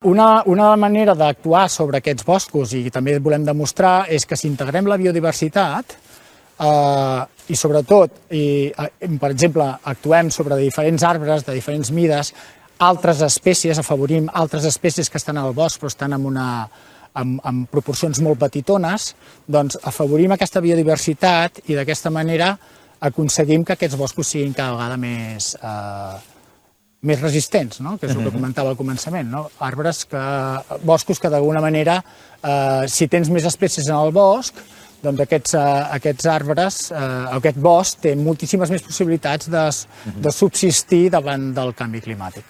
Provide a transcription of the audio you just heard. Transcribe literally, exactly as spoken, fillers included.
Una, una manera d'actuar sobre aquests boscos, i també volem demostrar, és que si integrem la biodiversitat eh, i sobretot, i, per exemple, actuem sobre diferents arbres de diferents mides, altres espècies, afavorim altres espècies que estan al bosc però estan en, una, en, en proporcions molt petitones, doncs afavorim aquesta biodiversitat i d'aquesta manera aconseguim que aquests boscos siguin cada vegada més... Eh, més resistents, no? Que és el que comentava al començament, no? Arbres que, boscos que d'alguna manera, eh, si tens més espècies en el bosc, doncs aquests, eh, aquests arbres, eh, aquest bosc té moltíssimes més possibilitats de, de subsistir davant del canvi climàtic.